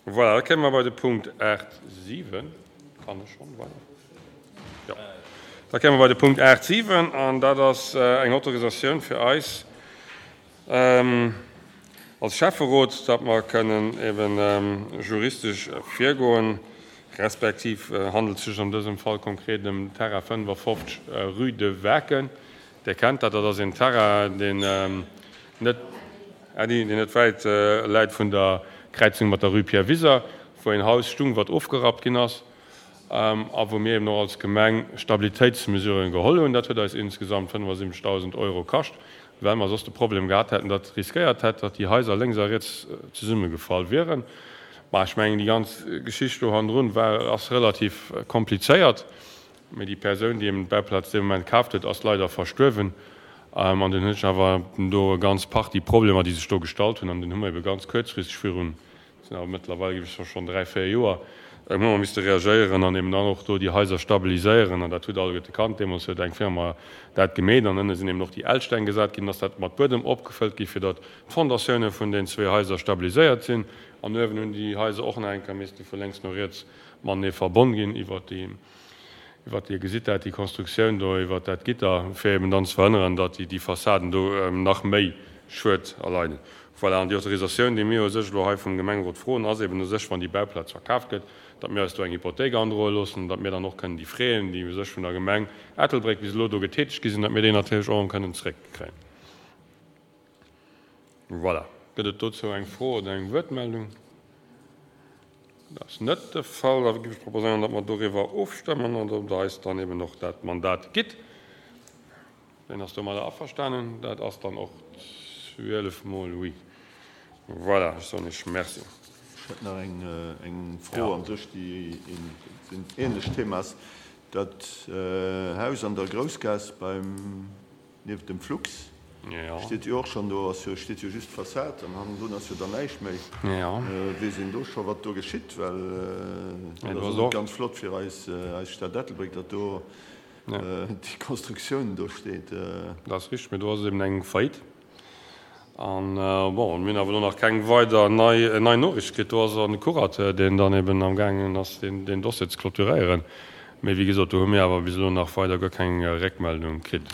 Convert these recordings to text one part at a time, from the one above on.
Voilà, da kéime mer bei de Punkt 8, 7. Kann ech schonn weider? Jo. Da kéime mer bei de Punkt 8, 7, an dat ass eng Autorisatioun fir eis als Schäfferot, datt mer kënnen eben juristesch virgoen, respektiv handelt et sech an dësem Fall konkret ëm Terrain 55 rue de Waken. Dir kennt dat, dat ass een Terrain, deen net, Äddi, deen net wäit läit vun der Kräizung mat der Rue Pierre Wiser, wou een Haus stung, wat ofgerappt ginn ass a wou mir eben och als Gemeng Stabilitéitsmesuren geholl hunn. Dat huet eis insgesamt 75.000 Euro kascht, well mer soss de Problem gehat hätten, datt riskéiert hätt, datt déi Haiser lénks a riets zesummegefall wieren. Mä ech mengen, déi ganz Geschicht do hannendrun war, ass relativ komplizéiert. Mee déi Persoun, déi eben d'Bauplaz dee Moment kaaft huet, ass leider verstuerwen. An dunn hunn ech awer do e ganz Partie Problemer, déi sech do gestallt hunn. An dunn hu mer ebe ganz kuerzfristeg virun, dat sinn awer mëttlerweil, géif ech soen, schonn dräi, véier Joer, hu mer misste reagéieren an eben dann och do déi Haiser stabiliséieren. An dat hutt alleguerte kannt. Deemools huet eng Firma dat gemeet an ënne sinn eben och déi L-Steng gesat ginn, ass dat mat Buedem opgefëllt gi fir datt d'Fondatioune vun den zwee Haiser stabiliséiert sinn. An uewen hunn déi Haiser och nach eng Kéier misste vu lénks no riets matenee verbonn ginn iwwert déi, iwwert, Dir gesitt dat, déi Konstruktioun do iwwert dat Gitter, fir eben dann ze verhënneren, datt déi Fassaden do nach méi Schued erleiden. Voilà, an déi Autorisatioun, déi mir u sech elo hei vum Gemengerot froen, ass eben u sech, wann déi Bauplaz verkaaft gëtt, datt mir eis do eng Hypothéik androe loossen, datt mir dann och kënnen déi Fräen, déi u sech vun der Gemeng Ettelbréck bis elo do getätegt gi sinn, datt mir déi natierlech och erëm kënnen zréckkréien. Voilà. Gëtt et dozou eng Fro oder eng Wuertmeldung? Dat ass net de Fall. Da géif ech proposéieren, datt mer doriwwer ofstëmmen an datt Der eis dann eben och dat Mandat gitt. Wien ass domadder averstanen? Dat ass dann och 12 mol oui. Voilà, ech soen Iech Merci. Ech hätt nach eng Fro an sech, déi en ähnlecht Thema ass. Dat Haus an der Groussgaass beim. Nieft dem Flux steet jo och schonn, do ass jo, steet jo just d'Fassad an hannendrun ass jo dann näischt méi. Weess een do scho wat do geschitt? Well dat ass och net ganz flott fir eis, eis Stad Ettelbréck, datt do déi Konstruktioun do steet. Dat ass richteg, mee do ass eben eng Faillite. An bon, mir hunn awer elo nach keng weider nei, nei Noriicht kritt. Do ass en Curateur, deen dann eben am gaangen ass, deen, deen Dossier ze clôturéieren. Mee wéi gesot, do hu mir awer bis elo nach weider guer keng Réckmeldung kritt.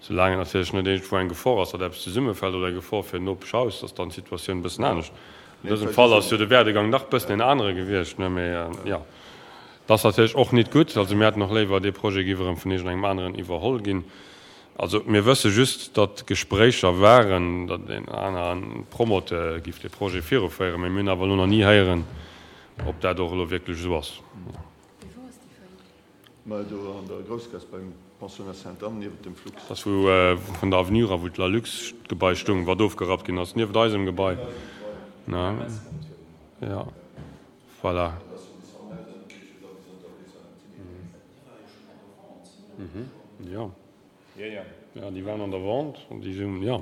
Soulaang et natierlech net iergendwou eng Gefor ass, datt eppes zesummefält oder eng Gefor fir en Nopeschhaus, ass dann d'Situatioun e bëssen anescht. An dësem Fall ass jo de Werdegang nach e bëssen en anere gewiescht, ne? Mee jo, et ass natierlech och nit gutt. Also mir hätten och léiwer, dee Projet géif erëm vun iergendengem aneren iwwerholl ginn. Also mir wësse just, datt Gespréicher waren, datt een anere Promoteur giff dee Projet viruféieren, mee mir hunn awer elo nach ni héieren, ob dat och elo wierklech esou ass. Mee wou ass déi Faillite? Mä do an der Groussgaass beim Pensionnat Sainte-Anne, niewent dem Flux. Dat ass wou vun der Avenue era wou d'Lalux-Gebai stoung, wat ofgerappt ginn ass, niewent eisem Gebai. Jo, voilà. Jo. Jo, déi waren an der Vente an déi sinn, jo.